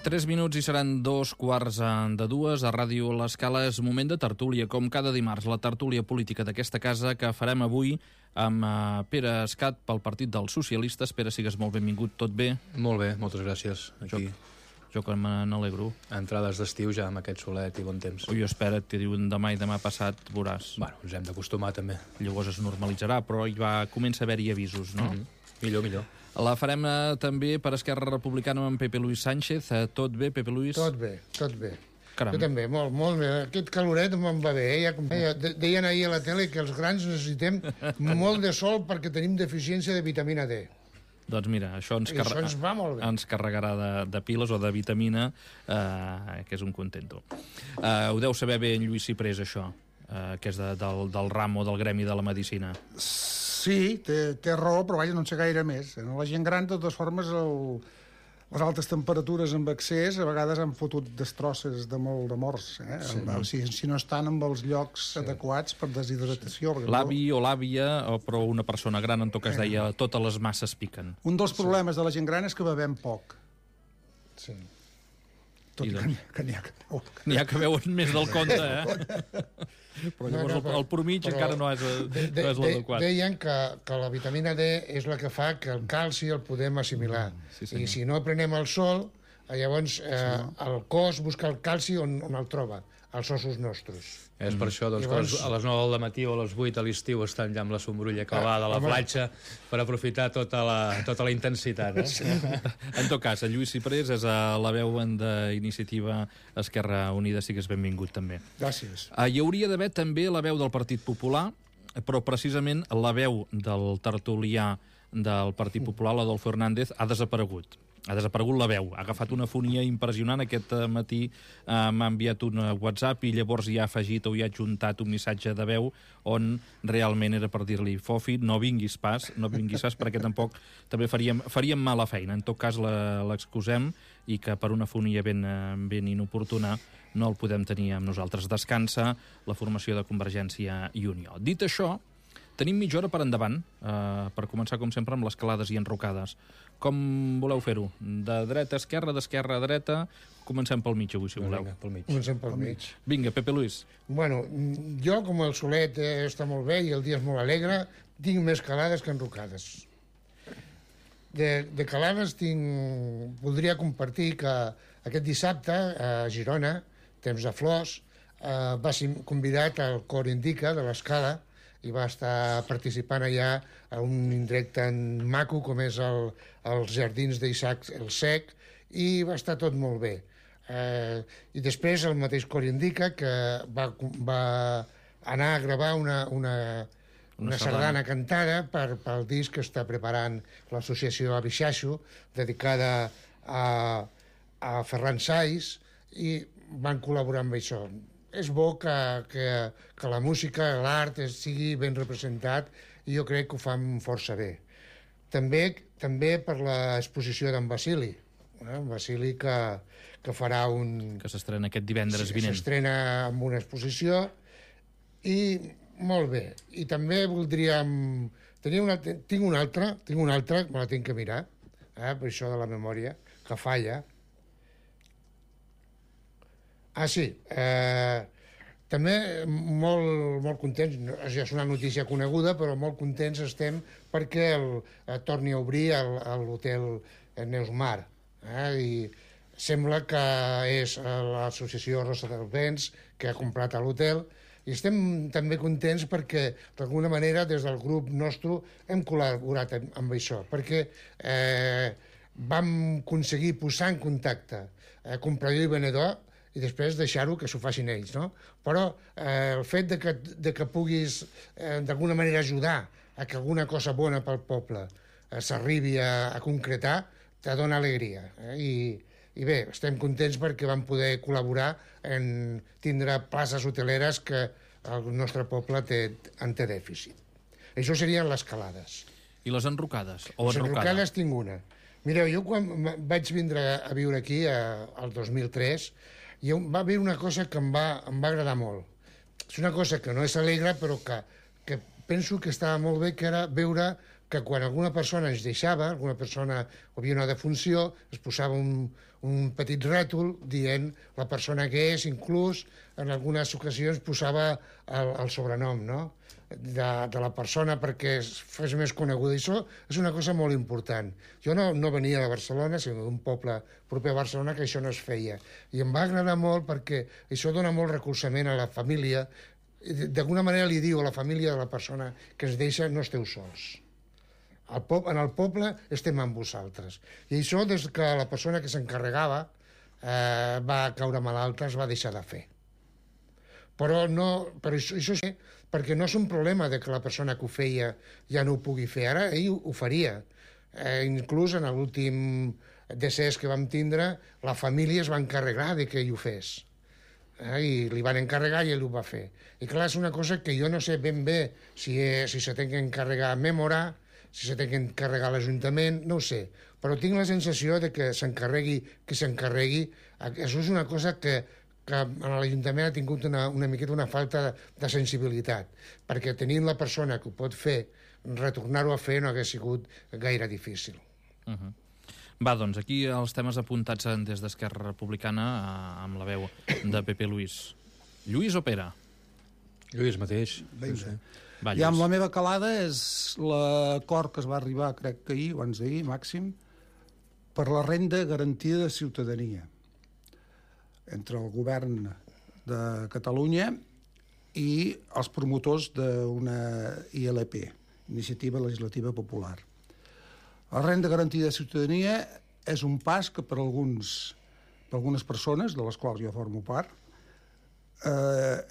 3 minuts i seran 2:15 a Ràdio L'Escala. És moment de tertúlia, com cada dimarts, la tertúlia política d'aquesta casa que farem avui amb Pere Escat pel Partit dels Socialistes. Pere, sigues molt benvingut, tot bé? Molt bé, moltes gràcies. Aquí. Jo que me n'alegro. Entrades d'estiu ja amb aquest solet i bon temps. Ui, espera't, que diuen demà i demà passat veuràs. Bueno, ens hem d'acostumar també. Llavors es normalitzarà, però comença a haver-hi avisos, no? Millor. La farem també per Esquerra Republicana amb Pepe Luis Sánchez. Tot bé, Pepe Luis? Tot bé. Caram. Jo també, molt bé. Aquest caloret me'n va bé. Deien ahir a la tele que els grans necessitem molt de sol perquè tenim deficiència de vitamina D. Doncs mira, això ens va molt bé. Ens carregarà de piles o de vitamina, que és un contento. Ho deu saber bé en Lluís Ciprés, això, que és del ramo del gremi de la medicina. Sí, té raó, però vaja, no en sé gaire més. La gent gran, de totes formes, les altes temperatures amb excés a vegades han fotut destrosses de morts, si no estan en els llocs adequats per deshidratació. L'avi o l'àvia, però una persona gran, en tot cas deia, totes les masses piquen. Un dels problemes de la gent gran és que bevem poc. Sí. Tot i que n'hi ha que veuen més del compte, però llavors el pormitge encara no és l'adequat. Deien que la vitamina D és la que fa que el calci el podem assimilar. I si no prenem el sol, llavors el cos busca el calci on el troba, als ossos nostres. És per això que a les 9 del matí o a les 8 a l'estiu estan ja amb la sombrulla clavada a la platja per aprofitar tota la intensitat. En tot cas, el Lluís Ciprés és a la veu d'Iniciativa Esquerra Unida. Sigues benvingut també. Gràcies. Hi hauria d'haver també la veu del Partit Popular, però precisament la veu del tertulià del Partit Popular, l'Adolfo Hernández, ha desaparegut. Ha desaparegut la veu, ha agafat una fonia impressionant. Aquest matí m'ha enviat un WhatsApp i llavors hi ha afegit o hi ha adjuntat un missatge de veu on realment era per dir-li: Fofi, no vinguis pas perquè tampoc també faríem mala feina. En tot cas l'excusem i que per una fonia ben inoportuna no el podem tenir amb nosaltres. Descansa la formació de Convergència i Unió. Dit això, tenim mitja hora per endavant, per començar, com sempre, amb les calades i enrocades. Com voleu fer-ho? De dreta a esquerra, d'esquerra a dreta? Comencem pel mig, avui, si voleu. Vinga, pel mig. Comencem pel mig. Vinga, Pepe Luis. Bueno, jo, com el solet està molt bé i el dia és molt alegre, tinc més calades que enrocades. De calades voldria compartir que aquest dissabte, a Girona, temps de flors, va ser convidat al Cor Indica de l'Escala i va estar participant allà a un indret tan maco com és els jardins d'Isaac el Sec, i va estar tot molt bé. I després el mateix Cor Indica, que va anar a gravar una sardana cantada pel disc que està preparant l'associació Abixaixo, dedicada a Ferran Saiz, i van col·laborar amb això. És bo que la música, l'art sigui ben representat, i jo crec que ho fan força bé. També per l'exposició d'en Basili. En Basili que farà que s'estrena aquest divendres vinent. S'estrena amb una exposició i molt bé. I també voldríem... Tinc una altra, me la tinc que mirar, per això de la memòria, que falla. Sí, també molt contents, ja és una notícia coneguda, però molt contents estem perquè torni a obrir l'hotel Neusmar, i sembla que és l'associació Rosa dels Vents que ha comprat l'hotel, i estem també contents perquè d'alguna manera des del grup nostre hem col·laborat amb això, perquè vam aconseguir posar en contacte comprador i venedor i després deixar-ho que s'ho facin ells, no? Però el fet de que puguis d'alguna manera ajudar a que alguna cosa bona pel poble s'arribi a concretar, te dona alegria. I bé, estem contents perquè vam poder col·laborar en tindre places hoteleres que el nostre poble en té dèficit. Això serien les calades. I les enrocades? Les enrocades tinc una. Mireu, jo quan vaig vindre a viure aquí, el 2003, va haver una cosa que em va agradar molt. És una cosa que no és alegre, però que penso que estava molt bé, que era veure que quan alguna persona ens deixava, alguna persona o havia una defunció, es posava un petit rètol dient la persona que és, inclús en algunes ocasions posava el sobrenom, no?, de la persona perquè es fes més coneguda. I això és una cosa molt important. Jo no venia de Barcelona, sinó d'un poble proper a Barcelona, que això no es feia. I em va agradar molt perquè això dona molt recolzament a la família. D'alguna manera li diu a la família de la persona que es deixa: no esteu sols. En el poble estem amb vosaltres. I això, des que la persona que s'encarregava va caure malalta, es va deixar de fer. Però això sí, perquè no és un problema de que la persona que ho feia ja no ho pugui fer. Ara ell ho faria. Inclús en l'últim decés que vam tindre, la família es va encarregar de que ell ho fes. I li van encarregar i ell ho va fer. I clar, és una cosa que jo no sé ben bé si se té que encarregar a Mémora, si se té que encarregar a l'Ajuntament, no ho sé. Però tinc la sensació de que s'encarregui qui s'encarregui. Això és una cosa que en l'Ajuntament ha tingut una miqueta una falta de sensibilitat, perquè tenint la persona que ho pot fer, retornar-ho a fer no hagués sigut gaire difícil. Va, doncs, aquí els temes apuntats des d'Esquerra Republicana amb la veu de Pepe Luis. Lluís o Pere? Lluís mateix. Vinga. Va, I amb Lluís. la meva calada és l'acord que es va arribar, crec que ahir, abans d'ahir, màxim, per la renda garantida de ciutadania entre el govern de Catalunya i els promotors d'una ILP, Iniciativa Legislativa Popular. La renda garantida de ciutadania és un pas que per algunes persones, de les quals jo formo part,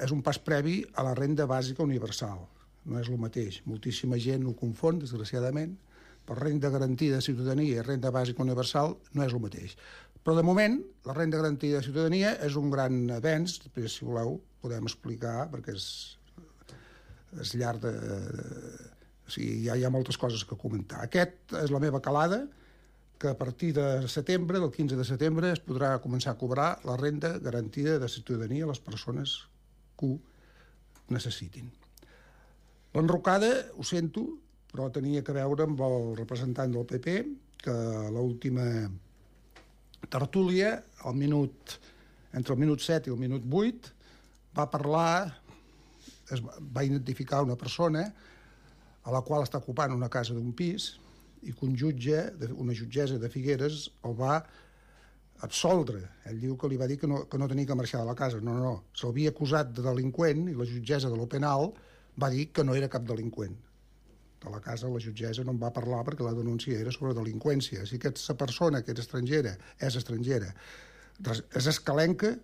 és un pas previ a la renda bàsica universal. No és el mateix. Moltíssima gent ho confon, desgraciadament, però renda garantida de ciutadania i renda bàsica universal no és el mateix. Però, de moment, la renda garantida de ciutadania és un gran avenç. Després, si voleu, podem explicar, perquè és llarg de... O sigui, hi ha moltes coses que comentar. Aquest és la meva calada, que a partir de setembre, del 15 de setembre, es podrà començar a cobrar la renda garantida de ciutadania a les persones que ho necessitin. L'enrocada, ho sento, però tenia que veure amb el representant del PP, que a l'última tertúlia, entre el minut 7 i el minut 8, va parlar, va identificar una persona a la qual està ocupant una casa d'un pis i que una jutgessa de Figueres el va absoldre. Ell diu que li va dir que no tenia que marxar de la casa. No. S'havia acusat de delinqüent i la jutgessa de lo penal va dir que no era cap delinqüent. De la casa la jutgessa no en va parlar perquè la denúncia era sobre delinqüència. Si aquesta persona que és estrangera, és escalenca,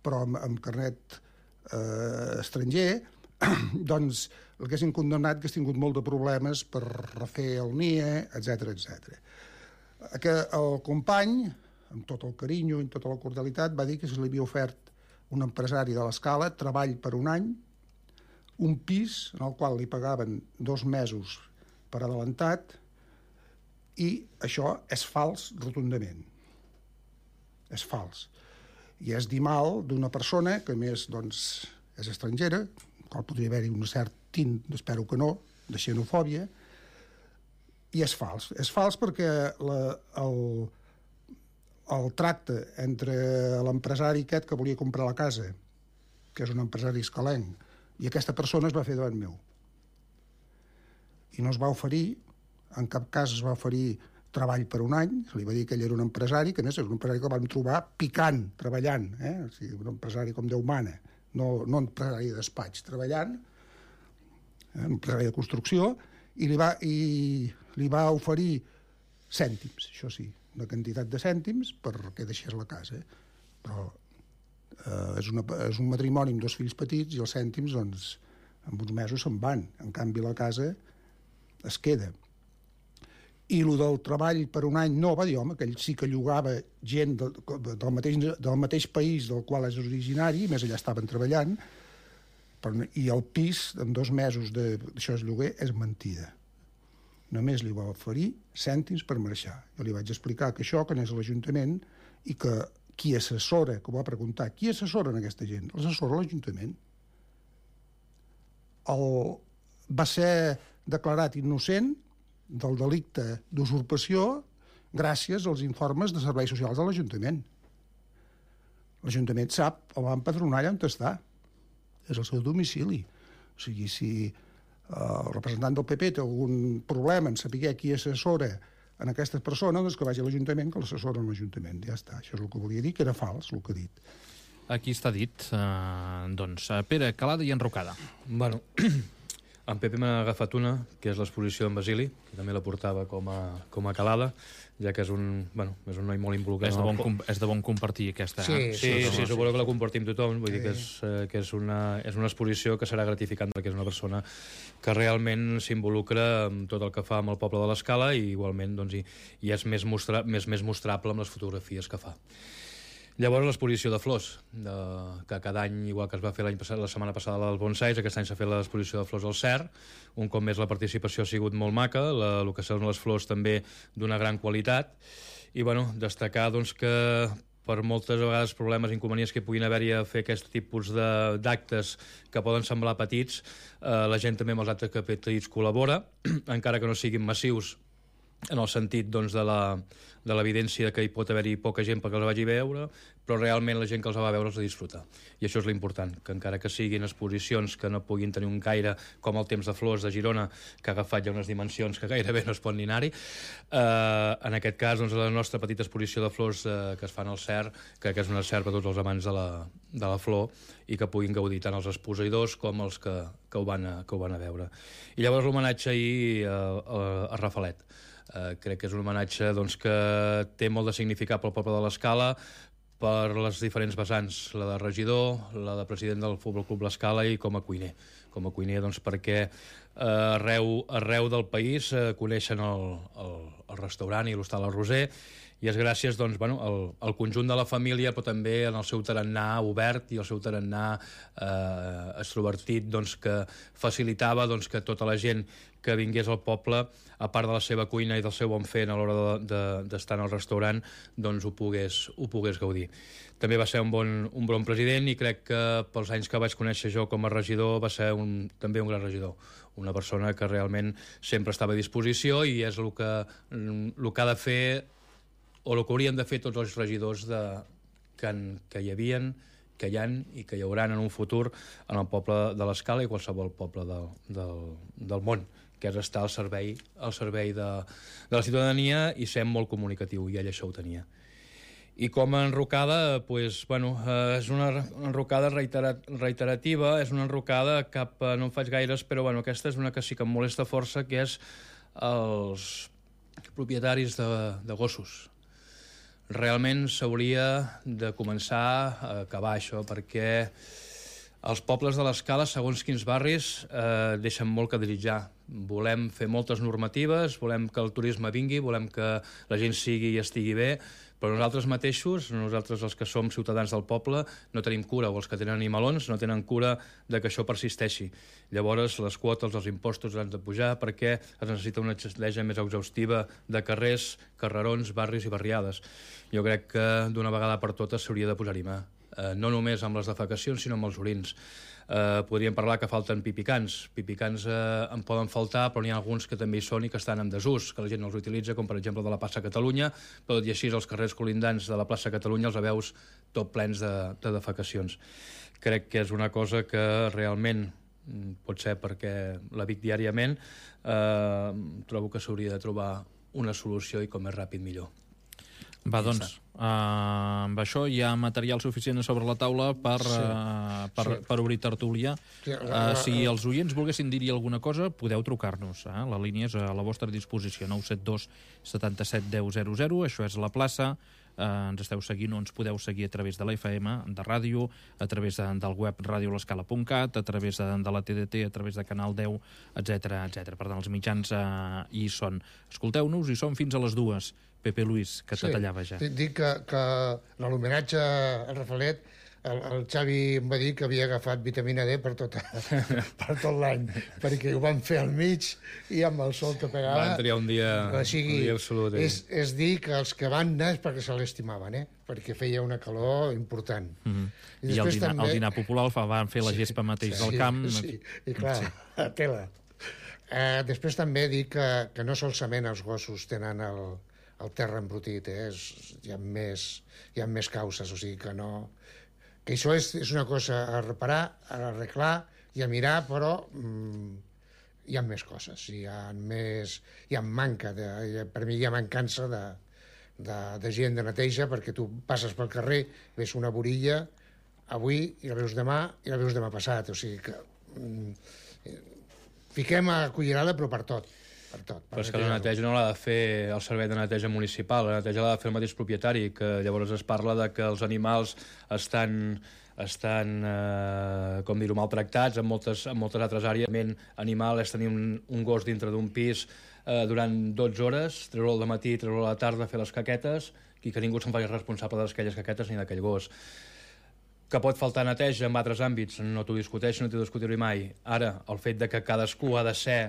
però amb carnet estranger, doncs l'haguessin condemnat, que hagués tingut molt de problemes per refer el NIE, etc. El company, amb tot el carinyo i tota la cordialitat, va dir que se li havia ofert un empresari de l'Escala treball per un any, un pis en el qual li pagaven 2 mesos per adelantat, i això és fals rotundament. És fals. I és dir mal d'una persona que, a més, doncs, és estrangera, en qual podria haver-hi un cert tint, espero que no, de xenofòbia, i és fals. És fals perquè el tracte entre l'empresari aquest que volia comprar la casa, que és un empresari escalenc, i aquesta persona es va fer davant meu. I no es va oferir, en cap cas es va oferir treball per un any, se li va dir que ell era un empresari, que a més és un empresari que el vam trobar picant, treballant, o sigui, un empresari com Déu mana, no un empresari de despatx, treballant, un empresari de construcció, i li va oferir cèntims, això sí, una quantitat de cèntims perquè deixés la casa. Però és un matrimoni amb 2 fills petits i els cèntims, doncs, en uns mesos se'n van. En canvi, la casa es queda. I el del treball per un any no, va dir, home, que ell sí que llogava gent del mateix país del qual és originari, més allà estaven treballant, i el pis, en 2 mesos d'això és lloguer, és mentida. Només li va oferir cèntims per marxar. Jo li vaig explicar que això, que anés a l'Ajuntament, i que qui assessora, que ho va preguntar, qui assessora en aquesta gent? L'assessora l'Ajuntament. Va ser declarat innocent del delicte d'usurpació gràcies als informes de serveis socials de l'Ajuntament. L'Ajuntament sap, el va empadronar allà on està. És el seu domicili. O sigui, si el representant del PP té algun problema en saber qui assessora en aquesta persona, doncs que vagi a l'Ajuntament, que l'assessora en l'Ajuntament. Ja està. Això és el que volia dir, que era fals, el que ha dit. Aquí està dit. Doncs, Pere, calada i enrocada. Bueno, en Pepe m'ha agafat una, que és l'exposició d'en Basili, que també la portava com a calada, ja que és un noi molt involucrat. És de bon compartir aquesta. Sí, suposo que la compartim tothom. Vull dir que és una exposició que serà gratificant perquè és una persona que realment s'involucra amb tot el que fa amb el poble de l'Escala i igualment doncs, i és més mostrable amb les fotografies que fa. Llavors, l'exposició de flors, que cada any, igual que es va fer la setmana passada als bonsais, aquest any s'ha fet l'exposició de flors al CER. Un cop més la participació ha sigut molt maca, el que són les flors també d'una gran qualitat. I destacar doncs, que per moltes vegades problemes i inconvenients que puguin haver-hi a fer aquest tipus d'actes que poden semblar petits, la gent també amb els actes petits col·labora, encara que no siguin massius, en el sentit doncs, de l'evidència que hi pot haver-hi poca gent perquè els vagi a veure, però realment la gent que els va veure els va disfrutar. I això és l'important, que encara que siguin exposicions que no puguin tenir un gaire com el Temps de Flors de Girona, que ha agafat ja unes dimensions que gairebé no es pot ni anar-hi, en aquest cas doncs, la nostra petita exposició de flors que es fan al CER, crec que és una CER per tots els amants de la flor i que puguin gaudir tant els expositors com els que ho van a veure. I llavors l'homenatge ahir a Rafalet. Crec que és un homenatge doncs, que té molt de significat pel poble de l'Escala per les diferents vessants, la de regidor, la de president del Futbol Club l'Escala i com a cuiner. Com a cuiner doncs, perquè arreu del país coneixen el restaurant i l'hostal El Roser i és gràcies doncs, al conjunt de la família, però també en el seu tarannà obert i el seu tarannà extrovertit doncs, que facilitava doncs, que tota la gent que vingués al poble, a part de la seva cuina i del seu bon fer a l'hora d'estar en el restaurant, doncs ho pogués gaudir. També va ser un bon president i crec que pels anys que vaig conèixer jo com a regidor va ser també un gran regidor. Una persona que realment sempre estava a disposició i és el que ha de fer o el que haurien de fer tots els regidors que hi havien, que hi ha i que hi hauran en un futur en el poble de l'Escala i qualsevol poble del món, que és estar al servei de la ciutadania i ser molt comunicatiu, i ell això ho tenia. I com a enrocada, doncs, és una enrocada reiterativa, és una enrocada no en faig gaires, però aquesta és una que sí que em molesta força, que és els propietaris de gossos. Realment s'hauria de començar a acabar això, perquè els pobles de l'Escala, segons quins barris, deixen molt que desitjar. Volem fer moltes normatives, volem que el turisme vingui, volem que la gent sigui i estigui bé, però nosaltres mateixos, nosaltres els que som ciutadans del poble, no tenim cura, o els que tenen animalons no tenen cura de que això persisteixi. Llavors, les quotes, els impostos han de pujar perquè es necessita una estratègia més exhaustiva de carrers, carrerons, barris i barriades. Jo crec que d'una vegada per totes s'hauria de posar-hi mà. No només amb les defecacions, sinó amb els orins. Podríem parlar que falten pipicans. Pipicans en poden faltar, però n'hi ha alguns que també hi són i que estan en desús, que la gent no els utilitza, com per exemple de la plaça Catalunya, però tot i així els carrers colindants de la plaça Catalunya els veus tot plens de defecacions. Crec que és una cosa que realment, pot ser perquè la vic diàriament, trobo que s'hauria de trobar una solució i com més ràpid millor. Va, doncs, amb això hi ha material suficient sobre la taula per obrir tertúlia. Si els oients volguessin dir-hi alguna cosa, podeu trucar-nos. La línia és a la vostra disposició, 972 77 10 00. Això és la plaça. Ens esteu seguint o ens podeu seguir a través de la FM, de ràdio, a través del web radiolescala.cat, a través de la TDT, a través de Canal 10, etc. Per tant, els mitjans hi són. Escolteu-nos, hi som fins a les 2. Pepe Luis, que te tallava ja. Dic que en l'homenatge al Rafalet el Xavi em va dir que havia agafat vitamina D per tot l'any, perquè ho van fer al mig i amb el sol que pegava... Van triar un dia absolut. És dir que els que van anar és perquè se l'estimaven, perquè feia una calor important. I el dinar popular van fer la gespa mateix del camp. Sí, i clar, a tela. Després també dic que no solament els gossos tenen el terra embrutit, hi ha més causes, o sigui que no... Que això és una cosa a reparar, a arreglar i a mirar, però hi ha més coses, hi ha manca, per mi hi ha mancança de gent de neteja, perquè tu passes pel carrer, ves una borilla avui i la veus demà i la veus demà passat, o sigui que fiquem a cullerada però per tot. Però és que la neteja no l'ha de fer el servei de neteja municipal, la neteja l'ha de fer el mateix propietari, que llavors es parla de que els animals estan com dir-ho, maltractats en moltes altres àrees. Animal és tenir un gos dintre d'un pis durant 12 hores, treure'l al matí, treure'l a la tarda, fer les caquetes, i que ningú se'n faci responsable d'aquelles caquetes ni d'aquell gos. Que pot faltar neteja en altres àmbits, no t'ho discuteixo, no t'ho discutiré mai. Ara, el fet de que cadascú ha de ser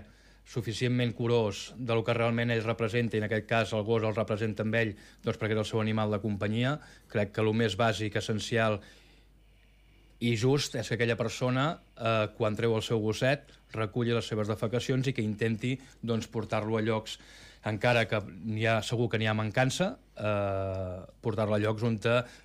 suficientment curós del que realment ell representa, i en aquest cas el gos el representa amb ell, doncs perquè és el seu animal de companyia, crec que el més bàsic, essencial i just és que aquella persona, quan treu el seu gosset, reculli les seves defecacions i que intenti doncs, portar-lo a llocs, encara que segur que n'hi ha mancança, portar-lo a llocs on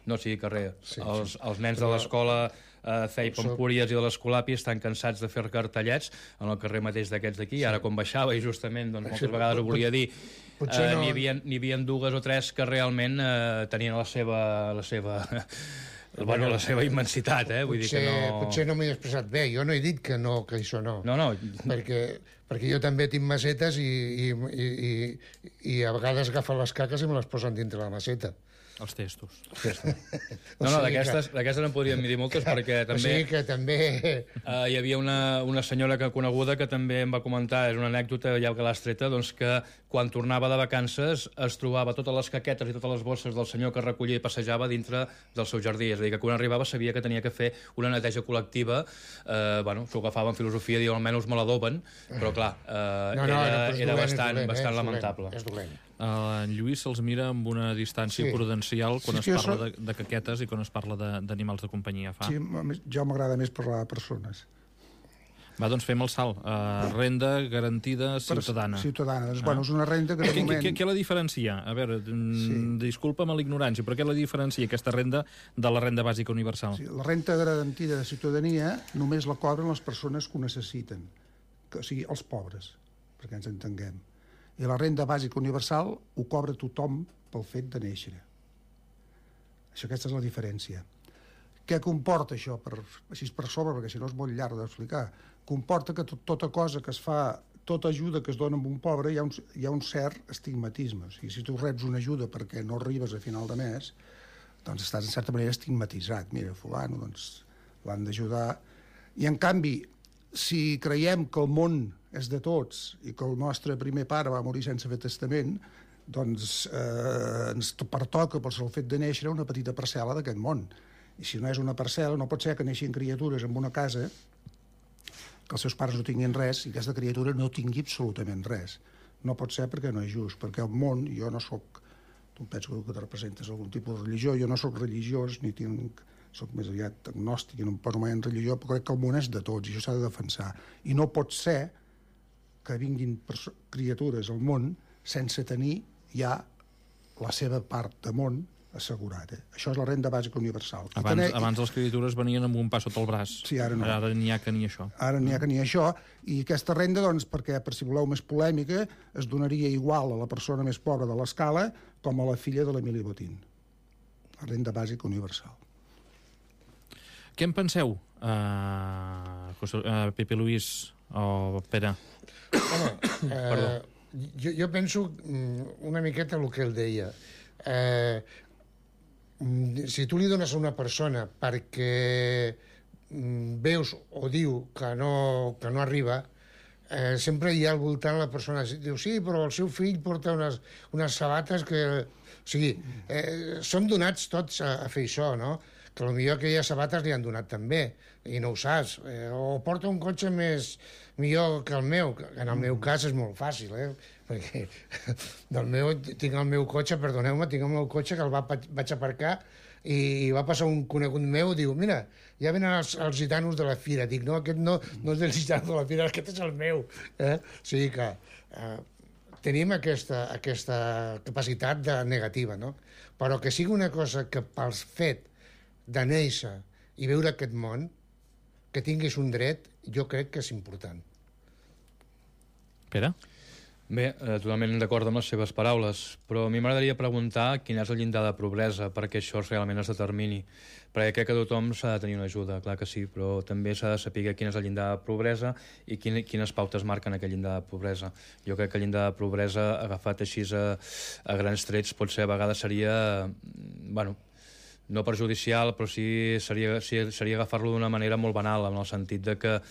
no sigui carrer. Sí, els nens de l'escola Feip Empúries i de l'Escolapi estan cansats de fer cartellets en el carrer mateix d'aquests d'aquí. Ara, quan baixava, i justament moltes vegades ho volia dir, n'hi havia dues o tres que realment tenien la seva immensitat, vull dir que no... Potser no m'he expressat bé, jo no he dit que això no. No. Perquè jo també tinc macetes i a vegades agafen les caques i me les posen dintre la maceta. Els testos. No, d'aquestes en podríem dir moltes, perquè també... O sigui que també... Hi havia una senyora coneguda que també em va comentar, és una anècdota, ja que l'has treta, doncs que quan tornava de vacances es trobava totes les caquetes i totes les bosses del senyor que recollia i passejava dintre del seu jardí. És a dir, que quan arribava sabia que tenia que fer una neteja col·lectiva. S'ho agafava en filosofia, diu, almenys me l'adoben, però clar, era bastant lamentable. És dolent. En Lluís se'ls mira amb una distància prudencial quan es parla de caquetes i quan es parla d'animals de companyia. Sí, jo m'agrada més parlar de persones. Va, doncs fem el salt. Renda garantida ciutadana. Ciutadana. Bueno, és una renda que de moment... Què la diferencia? A veure, disculpa'm l'ignorància, però què la diferencia aquesta renda de la renda bàsica universal? Sí, la renda garantida de ciutadania només la cobren les persones que ho necessiten, o sigui, els pobres, perquè ens entenguem. I la renda bàsica universal ho cobra tothom pel fet de néixer. Aquesta és la diferència. Què comporta això? Així per sobre, perquè si no és molt llarg d'explicar. Comporta que tota cosa que es fa, tota ajuda que es dona a un pobre, hi ha un cert estigmatisme. O sigui, si tu reps una ajuda perquè no arribes a final de mes, doncs estàs en certa manera estigmatitzat. Mira, fulano, doncs l'han d'ajudar. I en canvi, si creiem que el món és de tots i que el nostre primer pare va morir sense fer testament, doncs ens pertoca, per el fet de néixer, una petita parcel·la d'aquest món. I si no és una parcel·la, no pot ser que neixin criatures en una casa que els seus pares no tinguin res i aquesta criatura no tingui absolutament res. No pot ser perquè no és just, perquè el món, jo no soc... Tu penso que te representes algun tipus de religió, jo no soc religiós, ni tinc... soc més aviat agnòstic i no em poso mai en religió, però crec que el món és de tots i això s'ha de defensar. I no pot ser que vinguin criatures al món sense tenir ja la seva part de món assegurat. Això és la renda bàsica universal. Abans les criatures venien amb un pas sota el braç. Sí, ara no. Ara n'hi ha que ni això. Ara n'hi ha que ni això. I aquesta renda, doncs, perquè, per si voleu més polèmica, es donaria igual a la persona més pobra de l'escala com a la filla de l'Emili Botín. La renda bàsica universal. Què en penseu, Pepe Luis o Pere? Home, jo penso una miqueta el que ell deia. Si tu li dones a una persona perquè veus o diu que no arriba, sempre hi ha al voltant la persona diu, sí, però el seu fill porta unes sabates que... O sigui, som donats tots a fer això, no? que potser aquelles sabates li han donat també, i no ho saps. O porta un cotxe millor que el meu, que en el meu cas és molt fàcil, perquè tinc el meu cotxe, perdoneu-me, tinc el meu cotxe que el vaig aparcar i va passar un conegut meu, diu, mira, ja venen els gitanos de la fira. Dic, no, aquest no és del gitano de la fira, aquest és el meu. O sigui que tenim aquesta capacitat de negativa, no? Però que sigui una cosa que pel fet de néixer i veure aquest món, que tinguis un dret, jo crec que és important. Pere? Bé, totalment d'acord amb les seves paraules, però a mi m'agradaria preguntar quin és el llindar de pobresa perquè això realment es determini, perquè crec que tothom s'ha de tenir una ajuda, clar que sí, però també s'ha de saber quin és el llindar de pobresa i quines pautes marquen aquest llindar de pobresa. Jo crec que el llindar de pobresa, agafat així a grans trets, potser a vegades seria, bueno, no perjudicial, però sí seria agafar-lo d'una manera molt banal, en el sentit de que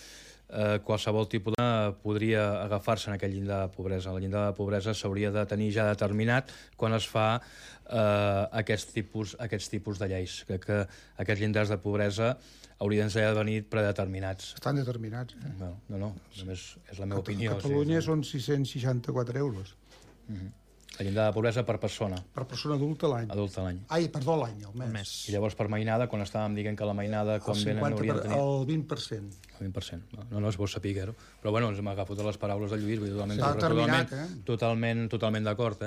qualsevol tipus podria agafar-se en aquell llindar de pobresa. El llindar de pobresa s'hauria de tenir ja determinat quan es fa aquests tipus de lleis. Crec que aquests llindars de pobresa haurien de venir predeterminats. Estan determinats. No, només és la meva opinió. A Catalunya són 664 euros. El llindar de pobresa per persona. Per persona adulta l'any. Adulta l'any. Ai, perdó, l'any, el mes. I llavors per mainada, quan estàvem dient que la mainada quan venen haurien de tenir... El 20%. El 20%. No és bo saber-ho. Però bueno, ens m'agafo totes les paraules de Lluís, Està determinat, totalment d'acord,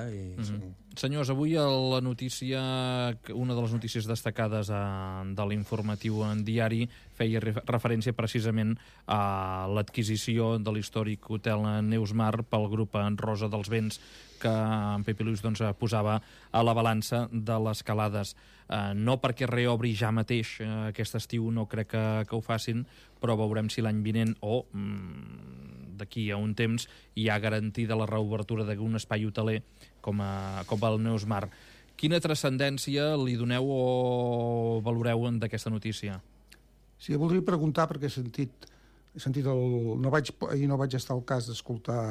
Senyors, avui la notícia, una de les notícies destacades de l'informatiu en diari feia referència precisament a l'adquisició de l'històric hotel Neusmar pel grup Rosa dels Vents, que en Pepe Luis posava a la balança de les calades. No perquè reobri ja mateix aquest estiu, no crec que ho facin, però veurem si l'any vinent o d'aquí a un temps hi ha garantida la reobertura d'un espai hoteler com el Neusmar. Quina transcendència li doneu o valoreu d'aquesta notícia? Sí, voldria preguntar perquè he sentit ahir no vaig estar al cas d'escoltar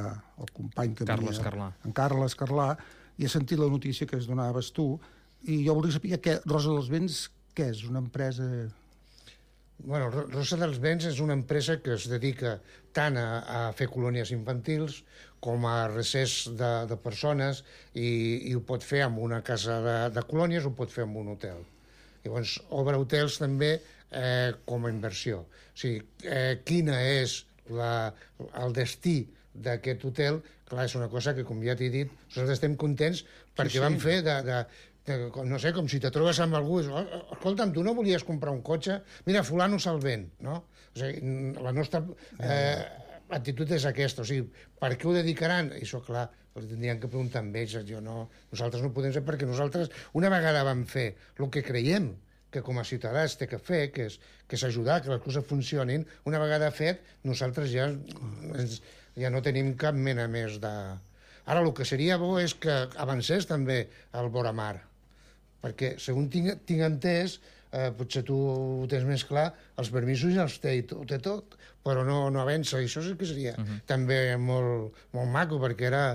el company que Carles Carlà. En Carles Carlà, i he sentit la notícia que es donaves tu, i jo voldria saber què Rosa dels Vents, què és? Una empresa... Bueno, Rosa dels Vents és una empresa que es dedica tant a fer colònies infantils com a recés de persones i ho pot fer amb una casa de colònies, ho pot fer amb un hotel. Llavors, obre hotels també com a inversió. O sigui, quina és el destí d'aquest hotel, clar, és una cosa que, com ja t'he dit, nosaltres estem contents perquè vam fer no sé, com si te trobes amb algú, escolta'm, tu no volies comprar un cotxe? Mira, fulano se'l ven, no? O sigui, la nostra actitud és aquesta, o sigui, per què ho dedicaran? I això, clar, tindrien que preguntar amb ells, nosaltres no podem ser, perquè nosaltres una vegada vam fer el que creiem que com a ciutadà es té que fer, que és ajudar que les coses funcionin, una vegada fet, nosaltres ja no tenim cap mena més de... Ara, el que seria bo és que avancés també el Boramar, perquè, segons tinc entès, potser tu ho tens més clar, els permisos ja els té, ho té tot, però no avança, i això sí que seria també molt maco, perquè era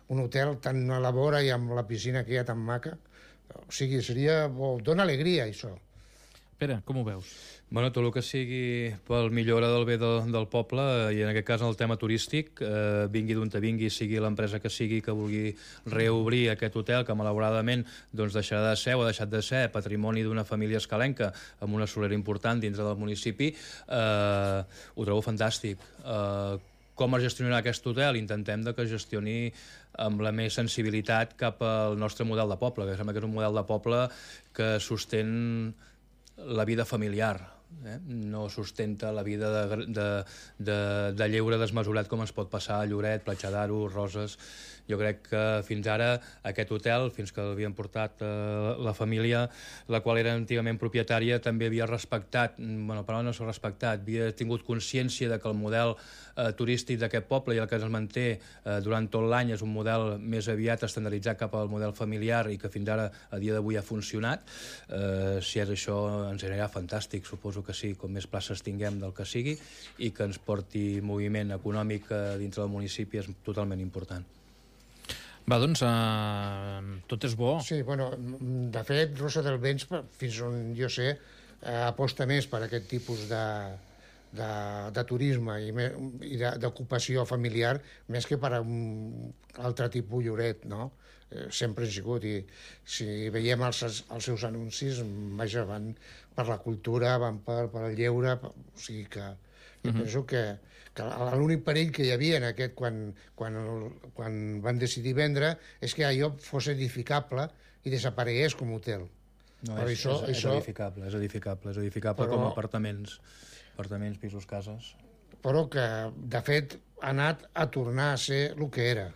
un hotel tan a la vora i amb la piscina que hi ha tan maca. O sigui, dona alegria, això. Pere, com ho veus? Bueno, tot el que sigui pel millora del bé del poble, i en aquest cas en el tema turístic, vingui d'on te vingui, sigui l'empresa que sigui que vulgui reobrir aquest hotel, que malauradament deixarà de ser o ha deixat de ser patrimoni d'una família escalenca amb una solera important dintre del municipi, ho trobo fantàstic. Com es gestionarà aquest hotel? Intentem que es gestioni amb la més sensibilitat cap al nostre model de poble, que sembla que és un model de poble que sostén la vida familiar, no sustenta la vida de lleure desmesurat com es pot passar a Lloret, Platja d'Aro, Roses. Jo crec que fins ara aquest hotel, fins que l'havien portat la família, la qual era antigament propietària, també havia respectat, però no s'ha respectat, havia tingut consciència de que el model turístic d'aquest poble i el que es manté durant tot l'any és un model més aviat estandarditzat cap al model familiar i que fins ara, a dia d'avui, ha funcionat. Si és això, ens anirà fantàstic, suposo que sí, com més places tinguem del que sigui i que ens porti moviment econòmic dintre del municipi és totalment important. Va, doncs, tot és bo. Sí, bueno, de fet, Rosa dels Vents, fins on jo sé, aposta més per aquest tipus de turisme i d'ocupació familiar més que per un altre tipus lloret, no? Sempre han sigut, i si veiem els seus anuncis, vaja, van per la cultura, van per el lleure, o sigui que jo penso que l'únic perill que hi havia en aquest quan van decidir vendre és que allò fos edificable i desaparegués com a hotel. No, és edificable com a apartaments, pisos, cases. Però que, de fet, ha anat a tornar a ser el que era.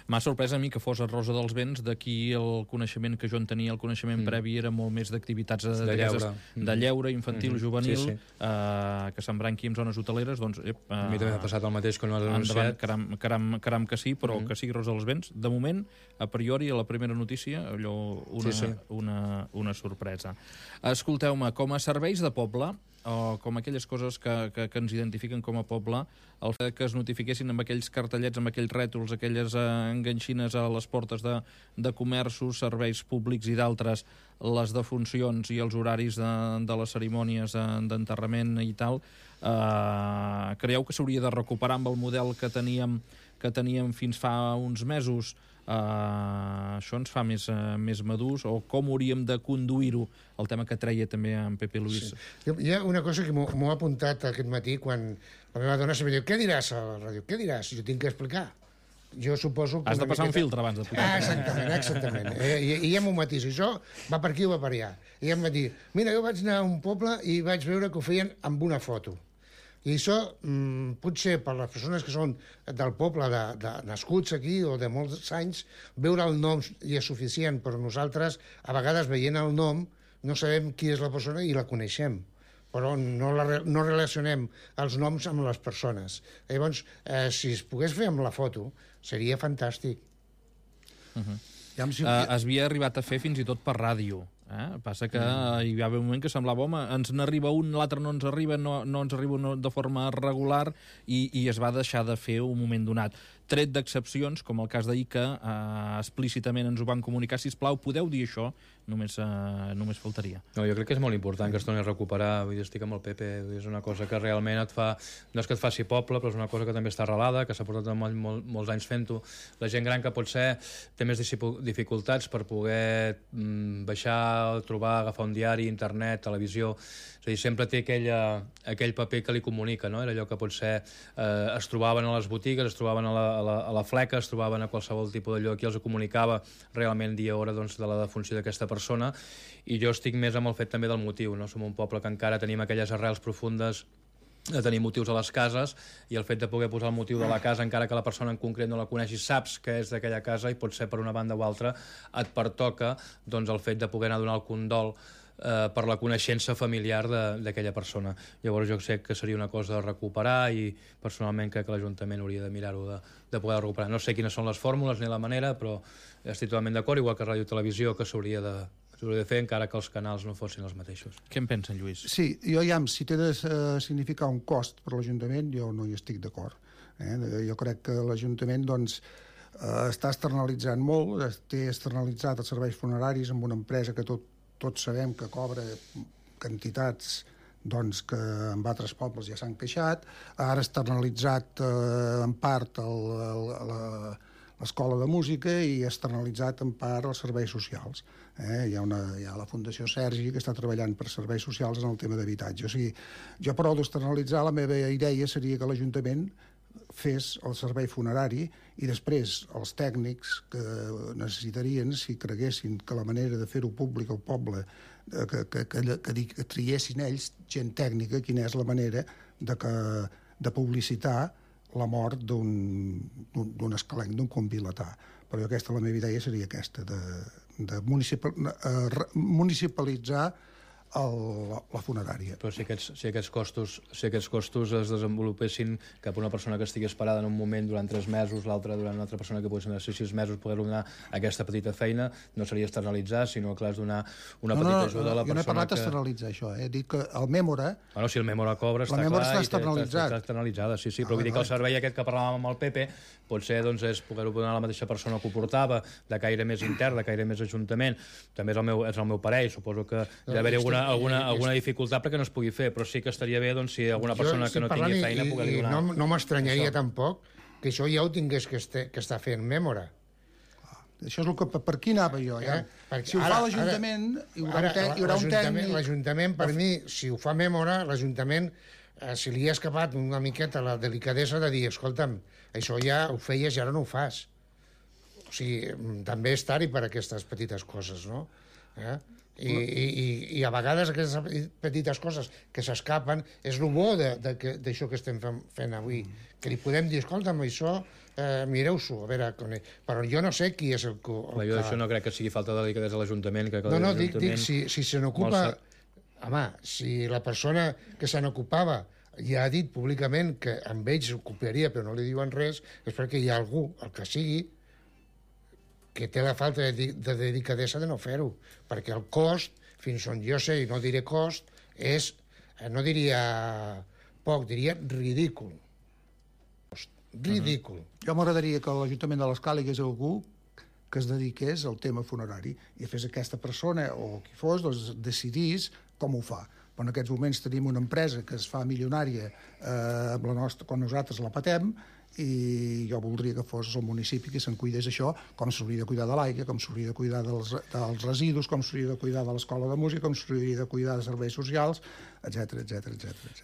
M'ha sorprès a mi que fos a Rosa dels Vents, d'aquí el coneixement que jo en tenia, el coneixement previ era molt més d'activitats de lleure infantil, juvenil, que s'embranqui en zones hoteleres, doncs... A mi també m'ha passat el mateix quan ho has anunciat. Caram que sí, però que sigui Rosa dels Vents. De moment, a priori, a la primera notícia, allò, una sorpresa. Escolteu-me, com a serveis de poble, o com aquelles coses que ens identifiquen com a poble, el fet que es notifiquessin amb aquells cartellets, amb aquells rètols, aquelles enganxines a les portes de comerços, serveis públics i d'altres, les defuncions i els horaris de les cerimònies d'enterrament i tal, creieu que s'hauria de recuperar amb el model que teníem fins fa uns mesos? Això ens fa més madurs, o com hauríem de conduir-ho, el tema que treia també en Pepe Luis. Hi ha una cosa que m'ho ha apuntat aquest matí quan la meva dona sempre diu: què diràs a la ràdio? Què diràs? Jo tinc que explicar. Jo suposo que... Has de passar un filtre abans de posar. Exactament. I hi ha un matís. Això va per aquí o va per allà. I em va dir: mira, jo vaig anar a un poble i vaig veure que ho feien amb una foto. I això, potser per les persones que són del poble, nascuts aquí o de molts anys, veure el nom ja és suficient, però nosaltres, a vegades, veient el nom, no sabem qui és la persona i la coneixem, però no relacionem els noms amb les persones. Llavors, si es pogués fer amb la foto, seria fantàstic. Es havia arribat a fer fins i tot per ràdio. Passa que hi va haver un moment que semblava, home, ens n'arriba un, l'altre no ens arriba, no ens arriba de forma regular, i es va deixar de fer un moment donat. Tret d'excepcions, com el cas d'ahir, que explícitament ens ho van comunicar: sisplau, podeu dir això? Només faltaria. No, jo crec que és molt important que es torni a recuperar. Vull dir, estic amb el Pepe, és una cosa que realment et fa... No és que et faci poble, però és una cosa que també està arrelada, que s'ha portat molts anys fent-ho. La gent gran que potser té més dificultats per poder baixar, trobar, agafar un diari, internet, televisió... És a dir, sempre té aquell paper que li comunica, no? Era allò que potser es trobaven a les botigues, es trobaven a la fleca, es trobaven a qualsevol tipus d'allò. Aquí els comunicava realment dia i hora, doncs, de la defunció d'aquesta persona, i jo estic més amb el fet també del motiu, no? Som un poble que encara tenim aquelles arrels profundes de tenir motius a les cases, i el fet de poder posar el motiu de la casa, encara que la persona en concret no la coneixis, saps que és d'aquella casa, i potser per una banda o altra et pertoca, doncs, el fet de poder anar a donar el condol per la coneixença familiar d'aquella persona. Llavors jo sé que seria una cosa de recuperar, i personalment crec que l'Ajuntament hauria de mirar-ho de poder recuperar. No sé quines són les fórmules ni la manera, però estic totalment d'acord, igual que Ràdio i Televisió, que s'hauria de fer, encara que els canals no fossin els mateixos. Què en pensen, Lluís? Sí, si té de significar un cost per l'Ajuntament, jo no hi estic d'acord. Jo crec que l'Ajuntament, doncs, està externalitzant molt, té externalitzat els serveis funeraris amb una empresa que tots sabem que cobra quantitats, doncs, que en altres pobles ja s'han queixat. Ara externalitzat en part l'escola de música i externalitzat en part els serveis socials. Hi ha la Fundació Sergi, que està treballant per serveis socials en el tema d'habitatge. O sigui, jo, però, d'externalitzar, la meva idea seria que l'Ajuntament fes el servei funerari, i després els tècnics que necessitarien, si creguessin que la manera de fer-ho públic al poble, que triessin ells, gent tècnica, quina és la manera de publicitar la mort d'un escalenc, d'un convilatà. Però aquesta, la meva idea seria aquesta, de municipalitzar la funerària. Però si aquests costos es desenvolupessin cap a una persona que estigui esperada en un moment durant 3 mesos, l'altra durant una altra persona que pugui ser 6 mesos, poder donar aquesta petita feina, no seria externalitzar, sinó que has donar una petita ajuda a la persona. Jo no he parlat d'externalitzar això, he dit que el Mèmora... Bueno, si el Mèmora cobra, està clar, està externalitzada, sí, però vull dir que el servei aquest que parlàvem amb el Pepe, potser, doncs, és poder-ho donar a la mateixa persona que ho portava, de caire més intern, de caire més ajuntament. També és el meu parer, suposo que hi ha d'haver alguna dificultat perquè no es pugui fer, però sí que estaria bé doncs, si alguna persona que no tingui feina poder donar... No m'estranyaria tampoc que això ja ho tingués que estar fent Mèmora. Això és el que... Per aquí anava jo, ja. Si ho fa l'Ajuntament, hi haurà un tècnic... L'Ajuntament, per mi, si ho fa Mèmora, l'Ajuntament, si li ha escapat una miqueta la delicadesa de dir, escolta'm, això ja ho feies i ara no ho fas. O sigui, també és tard per aquestes petites coses, no? I a vegades aquestes petites coses que s'escapen és el bo d'això que estem fent avui, que li podem dir, escolta'm, això mireu-s'ho, a veure, però jo no sé qui és el que... Jo això no crec que sigui falta de delicadesa a l'Ajuntament. No, dic, si se n'ocupa... Home, si la persona que se n'ocupava ja ha dit públicament que amb ells s'ocuparia però no li diuen res, és perquè hi ha algú, el que sigui, que té la falta de delicadesa de no fer-ho, perquè el cost, fins on jo sé, i no diré cost, és, no diria poc, diria ridícul. Ridícul. Jo m'agradaria que l'Ajuntament de l'Escala hi hagués algú que es dediqués al tema funerari i fes aquesta persona, o qui fos, doncs decidís com ho fa. Però en aquests moments tenim una empresa que es fa milionària quan nosaltres la patem, i jo voldria que fos el municipi que se'n cuidés això, com s'hauria de cuidar de l'aigua, com s'hauria de cuidar dels residus, com s'hauria de cuidar de l'escola de música, com s'hauria de cuidar de serveis socials, etc.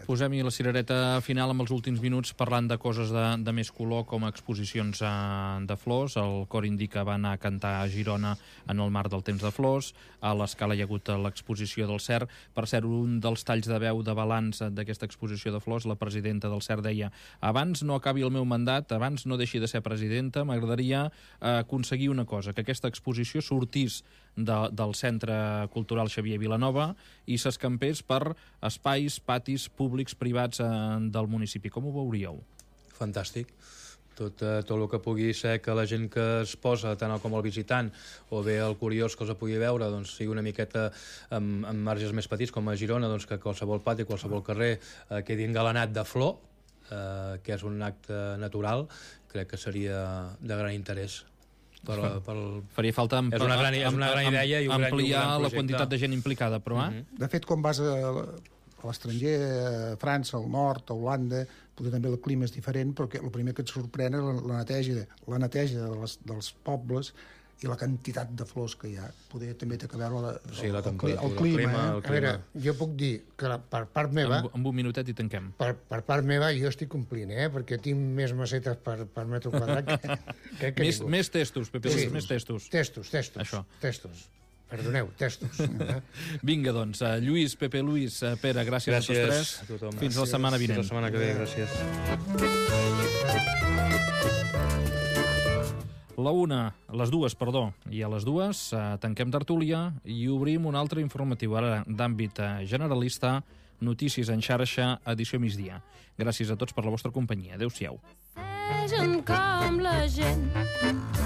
Posem-hi la cirereta final amb els últims minuts parlant de coses de més color, com exposicions de flors. El Cor Indica va anar a cantar a Girona en el marc del Temps de Flors. A l'Escala hi ha hagut l'exposició del CER. Per cert, un dels talls de veu de balanç d'aquesta exposició de flors, la presidenta del CER deia: abans no acabi el meu mandat, abans no deixi de ser presidenta, m'agradaria aconseguir una cosa, que aquesta exposició sortís del Centre Cultural Xavier Vilanova i s'escampés per espais, patis públics, privats del municipi. Com ho veuríeu? Fantàstic. Tot el que pugui ser que la gent que es posa, tant com el visitant o bé el curiós que els pugui veure, doncs sigui una miqueta amb marges més petits, com a Girona, doncs que qualsevol pati, qualsevol carrer quedi engalanat de flor, que és un acte natural, crec que seria de gran interès. Faria falta és una gran idea i un gran ampliar la quantitat de gent implicada, però... De fet, quan vas a l'estranger, a França, al nord, a Holanda, potser també el clima és diferent, perquè el primer que et sorprèn és la neteja dels pobles i la quantitat de flors que hi ha. Poder també té que veure el clima. A veure, jo puc dir que per part meva... Amb un minutet i tanquem. Per part meva jo estic complint, perquè tinc més macetes per metre quadrat que ningú. Més testos, Pepe, més testos. Testos. Perdoneu, testos. Vinga, doncs, Lluís, Pepe, Luis, Pere, gràcies a tots tres. Fins la setmana vinent. Fins la setmana que ve, gràcies. Les dues, i a les dues tanquem tertúlia i obrim un altre informatiu, ara d'àmbit generalista, Notícies en xarxa, edició migdia. Gràcies a tots per la vostra companyia. Adéu-siau. Com la gent